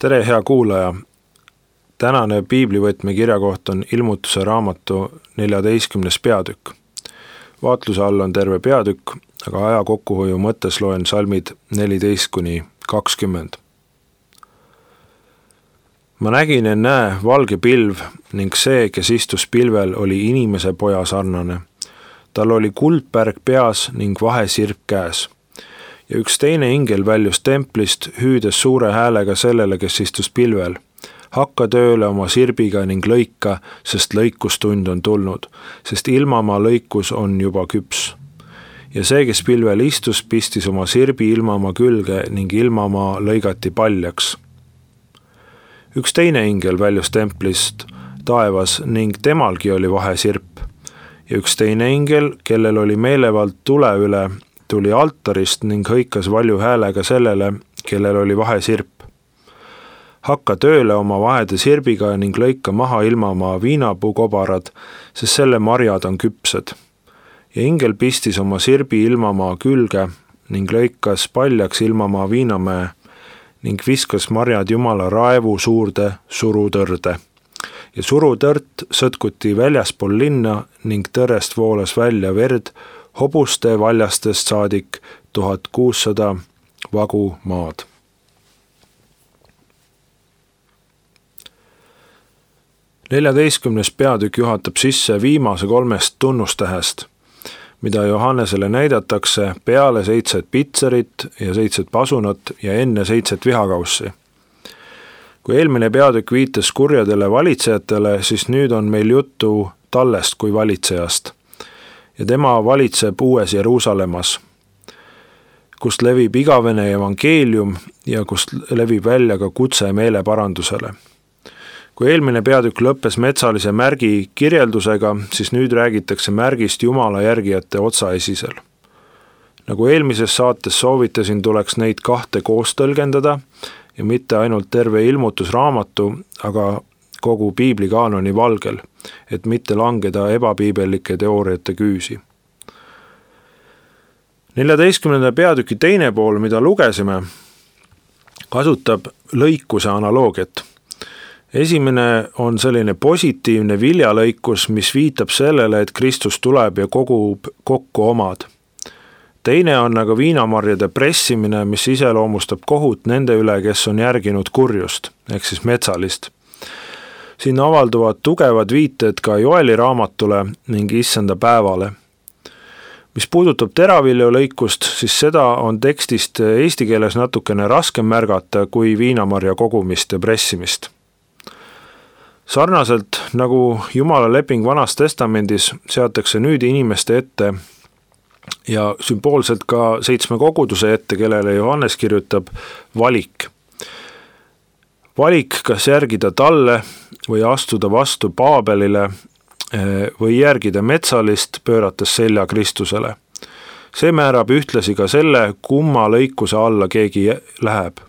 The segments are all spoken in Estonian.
Tere, hea kuulaja! Tänane piiblivõtme kirjakoht on Ilmutuse raamatu 14. peatükk. Vaatluse all on terve peatükk, aga aja kokkuhoiu mõttes loen salmid 14–20. Ma nägin ja näe valge pilv ning see, kes istus pilvel, oli inimese poja sarnane. Tal oli kuldpärg peas ning vahesirp käes. Ja üks teine ingel väljus templist, hüüdes suure häälega sellele, kes istus pilvel. Hakka tööle oma sirbiga ning lõika, sest lõikustund on tulnud, sest ilmamaa lõikus on juba küps. Ja see, kes pilvel istus, pistis oma sirbi ilmamaa külge ning ilmamaa lõigati paljaks. Üks teine ingel väljus templist taevas ning temalgi oli vahesirp. Ja üks teine ingel, kellel oli meelevald tule üle, tuli altarist ning hõikas valju häälega sellele, kellel oli vahesirp. Hakka tööle oma vahede sirbiga ning lõika maha ilmamaa viinapuukobarad, sest selle marjad on küpsed. Ja ingel pistis oma sirbi ilmamaa külge ning lõikas paljaks ilmamaa viinamäe ning viskas marjad Jumala raevu suurde surutõrde. Ja surutõrt sõtkuti väljaspool linna ning tõrest voolas välja verd, hobuste valjastest saadik 1600 vagu maad. 14. peatükk juhatab sisse viimase 3 tunnustähest, mida Johannesele näidatakse peale 7 pitserit ja 7 pasunat ja enne 7 vihakaussi. Kui eelmine peatükk viitas kurjadele valitsejatele, siis nüüd on meil juttu tallest kui valitsejast. Ja tema valitseb uues Jeruusalemmas, kust levib igavene evangeelium ja kust levib välja ka kutse meeleparandusele. Kui eelmine peatükk lõppes metsalise märgi kirjeldusega, siis nüüd räägitakse märgist Jumala järgijate otsaesisel. Nagu eelmises saates soovitasin, tuleks neid 2 koos tõlgendada ja mitte ainult terve ilmutusraamatu, aga kogu piiblikaanoni valgel, et mitte langeda ebapiibellike teooriate küüsi. 14. peatüki teine pool, mida lugesime, kasutab lõikuse analoogiat. Esimene on selline positiivne viljalõikus, mis viitab sellele, et Kristus tuleb ja kogub kokku omad. Teine on aga viinamarjade pressimine, mis iseloomustab kohut nende üle, kes on järginud kurjust, ehk siis metsalist. Siin avalduvad tugevad viited ka Joeli raamatule ning issanda päevale. Mis puudutab teraviljalõikust, siis seda on tekstist eesti keeles natukene raskem märgata kui viinamarja kogumist ja pressimist. Sarnaselt nagu Jumala leping Vanas Testamendis seatakse nüüd inimeste ette ja sümboolselt ka 7 koguduse ette, kellele Johannes kirjutab valik. Valik, kas järgida talle või astuda vastu Paabelile või järgida metsalist, pöörates selja Kristusele. See määrab ühtlasi ka selle, kumma lõikuse alla keegi läheb.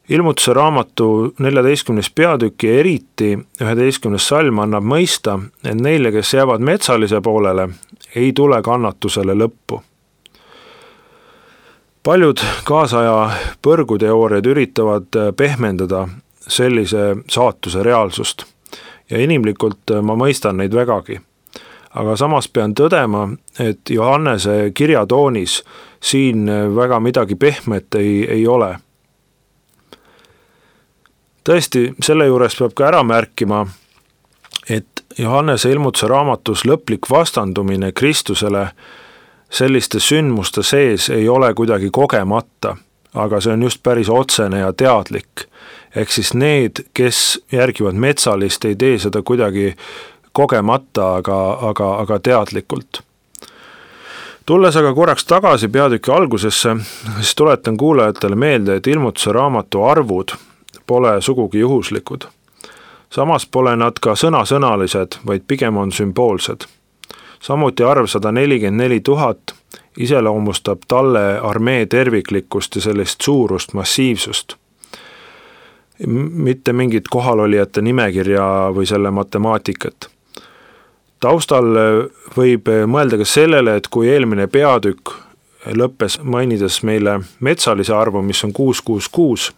Ilmutuse raamatu 14. peatüki eriti 11. salm annab mõista, et neile, kes jäävad metsalise poolele, ei tule kannatusele lõppu. Paljud kaasaja põrguteooriad üritavad pehmendada sellise saatuse reaalsust ja inimlikult ma mõistan neid vägagi. Aga samas pean tõdema, et Johannese kirjatoonis siin väga midagi pehmet ei ole. Tõesti, selle juures peab ka ära märkima, et Johannese ilmutuse raamatus lõplik vastandumine Kristusele selliste sündmuste sees ei ole kuidagi kogemata, aga see on just päris otsene ja teadlik. Ehk siis need, kes järgivad metsalist, ei tee seda kuidagi kogemata, aga teadlikult. Tulles aga korraks tagasi peatüki algusesse, siis tuletan kuulajatele meelde, et ilmutuse raamatu arvud pole sugugi juhuslikud. Samas pole nad ka sõnasõnalised, vaid pigem on sümboolsed. Samuti arv 144 000 iseloomustab talle armee terviklikkust ja sellist suurust, massiivsust. Mitte mingit kohalolijate nimekirja või selle matemaatikat. Taustal võib mõelda ka sellele, et kui eelmine peatükk lõppes mainides meile metsalise arvu, mis on 666,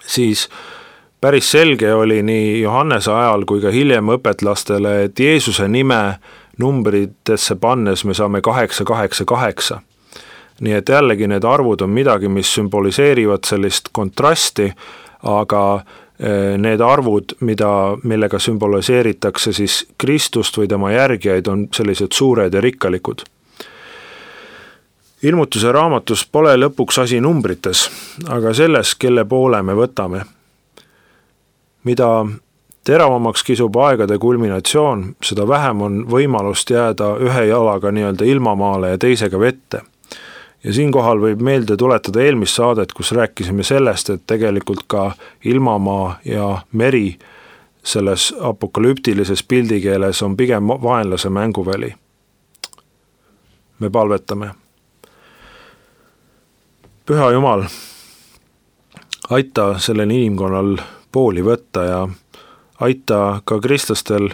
siis päris selge oli nii Johannese ajal kui ka hiljem õpetlastele, et Jeesuse nime numbritesse pannes me saame 888. Nii et jällegi need arvud on midagi, mis sümboliseerivad sellist kontrasti, aga need arvud, millega sümboliseeritakse siis Kristust või tema järgijaid, on sellised suured ja rikkalikud. Ilmutuse raamatus pole lõpuks asi numbrites, aga selles, kelle poole me võtame. Mida teravamaks kisub aegade kulminatsioon, seda vähem on võimalust jääda ühe jalaga nii-öelda ilmamaale ja teisega vette. Ja siinkohal võib meelde tuletada eelmist saadet, kus rääkisime sellest, et tegelikult ka ilmamaa ja meri selles apokalüptilises pildikeeles on pigem vaenlase mänguväli. Me palvetame. Püha Jumal, aita sellel inimkonnal pooli võtta ja aita ka kristlastel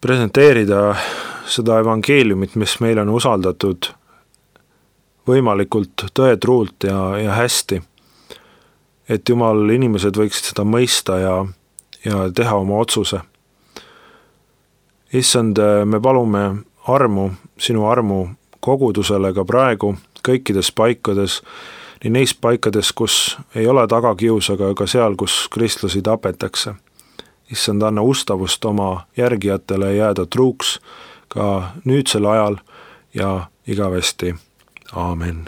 presenteerida seda evangeeliumit, mis meil on usaldatud võimalikult tõetruult ja hästi. Et Jumal, inimesed võiksid seda mõista ja teha oma otsuse. Issand, me palume armu, sinu armu kogudusele ka praegu, kõikides paikades, nii neis paikades, kus ei ole tagakius, aga ka seal, kus kristlasi tapetakse. Issand, anna ustavust oma järgijatele jääda truuks ka nüüdsel ajal ja igavesti. Aamen.